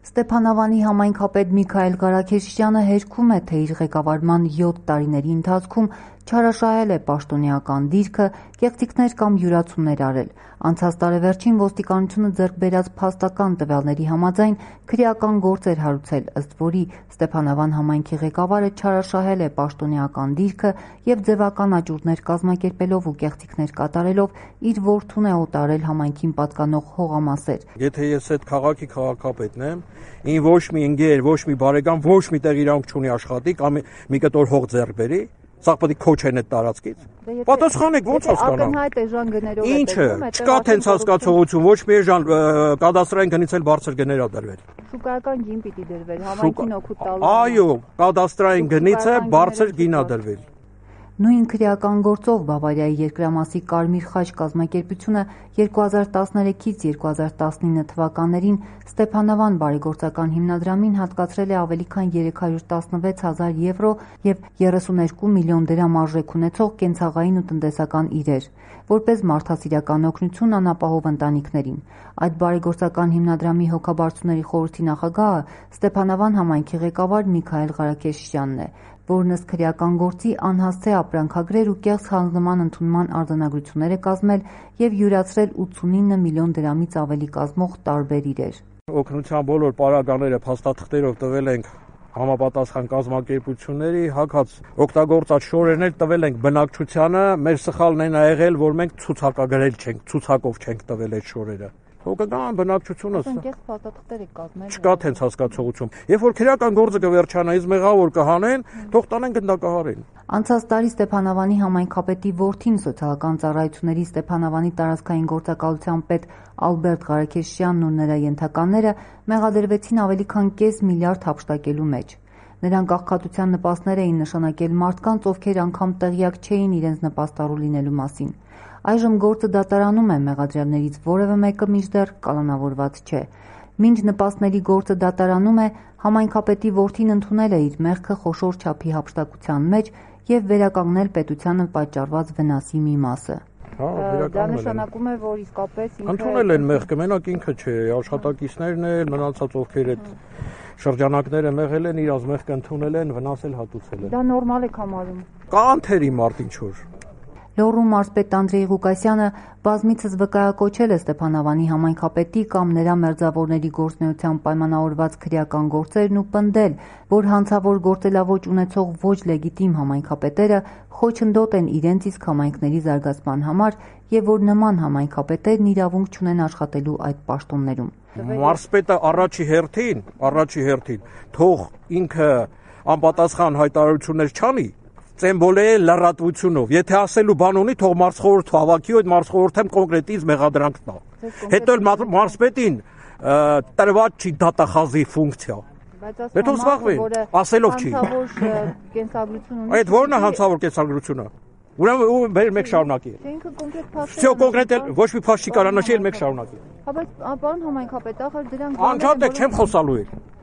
Ստեփանավանի համայնքապետ Միքայել Ղարաքեշյանը հերքում է, թե իր ղեկավարման 7 տարիների ընթացքում չարաշահել է պաշտոնեական դիրքը, կեղծիքներ կամ յուրացումներ արել։ Անցած տարեվերջին ոստիկանությունը ձեռք բերած փաստական տվյալների համաձայն քրեական գործ էր հարուցել, ըստ որի Ստեփանավան համայնքի ղեկավարը չարաշահել է պաշտոնեական դիրքը եւ ձևական աճուրդներ կազմակերպելով ու կեղծիքներ կատարելով իր որդուն է օտարել համայնքին պատկանող հողամասեր։ Եթե ես այդ քաղաքի քաղաքապետն եմ, ին ոչ մի ընկեր, ոչ մի բարեկամ, ոչ մի տեղ իրավունք չունի աշխատի կամ մի կտոր հող ձեռք բերի, սա պետք է քոչեն այդ տարածքից։ Պատասխանեք, ո՞նց հասկանամ։ Ինչը, չկա տենց հասկացողություն, ոչ մի էժան կադաստրային գնից էլ բարձր գներ ա դրվել։ Շուկայական գին պիտի դրվեր, համայնքին օգուտ տալու։ Այո, կադաստրային գնից է բարձր գին ա դրվել։ Նույն քրեական գործով Բավարիայի երկրամասի Կարմիր խաչ կազմակերպությունը 2013-ից 2019 թվականներին Ստեփանավան բարեգործական հիմնադրամին հատկացրել է ավելի քան 316,000 եվրո եւ 32 միլիոն դրամ արժեք ունեցող կենցաղային ու տնտեսական իրեր, որպես մարդասիրական օգնություն անապահով ընտանիքներին։ Այդ բարեգործական հիմնադրամի հոգաբարձուների խորհրդի նախագահը Ստեփանավան համայնքի ղեկավար Միքայել Ղարաքեշյանն է, որն ըստ քրեական գործի անհասցե ապրանքագրեր ու կեղծ հանձնման ընդունման արձանագրություններ է կազմել եւ յուրացրել 89 միլիոն դրամից ավելի կազմող տարբեր իրեր։ Օգնության բոլոր պարագաները փաստաթղթերով տվել ենք համապատասխան կազմակերպությունների, հագած օգտագործած շորերներ տվել ենք բնակչությանը, մեր սխալն այն ա եղել, որ մենք ցուցակագրել չենք, ցուցակով չենք տվել այդ շորերը։ Հոգական բնակչությունը չկա տենց հասկացողություն։ Երբ որ քրեական գործը կվերջանա, իսկ մեղավոր կհանեն, թող տանեն գնդակահարին։ Անցած տարի Ստեփանավանի համայնքապետի որդին սոցիալական ծառայությունների Ստեփանավանի տարածքային գործակալության պետ Ալբերտ Ղարաքեշյանն ու նրա ենթականները մեղադրվեցին ավելի քան կես միլիարդ հափշտակելու մեջ։ Նրանք աղքատության նպաստներ էին նշանակել մարդկանց, ովքեր անգամ տեղյակ չէին իրենց նպաստառու լինելու մասին։ Այժմ գործը դատարանում է, մեղադրյալներից որևէ մեկը մինչդեռ կալանավորված չէ։ Մինչ նպաստների գործը դատարանում է, համայնքապետի որդին ընդունել է իր մեղքը խոշոր չափի հափշտակության մեջ եւ վերականգնել պետությանը պատճառված վնասի մի մասը։ Դա նշանակում է, որ իսկապես ինքը ընդունել են մեղքը, մենակ ինքը չէ, աշխատակիցներն էլ, մնացած ովքեր այդ շրջանակները մեղել են, իրաց մեղքը ընդունել են, վնասել հատուցել են։ Դա նորմալ է համարում։ Կա անթերի մարդ ինչ որ։ Լոռու մարզպետ Անդրեյ Ղուկասյանը բազմիցս վկայակոչել է Ստեփանավանի համայնքապետի կամ նրա մերձավորների գործունեությամբ պայմանավորված քրեական գործերն ու պնդել, որ հանցավոր գործելաոճ ունեցող ոչ լեգիտիմ համայնքապետերը խոչընդոտ են իրենց իսկ համայնքների զարգացման համար եւ որ նման համայնքապետերն իրավունք չունեն աշխատելու այդ պաշտոններում։ Մարզպետը առաջի հերթին թող ինքը անպատասխան հայտարարություններ չանի, ծեմբոլե լրատվությունով։ Եթե ասելու բան ունի, թող մարզխորհուրդ հավաքի ու այդ մարզխորհուրդը կոնկրետից մեղադրանք տա։ Հետո մարզպետին տրված չի դատախազի ֆունկցիա։ Բայց զբաղվեն, ասելով չի։ Այդ ո՞րն է հանցավոր կենսագրությունը։ Ուրեմն մեկ շարունակի։ Всё կոնկրետ ոչ մի փաստ չի կարա նշել, մեկ շարունակի։ Բայց պարոն համայնքապետ, ախր դրանք անջատ չեմ խոսալու էլ։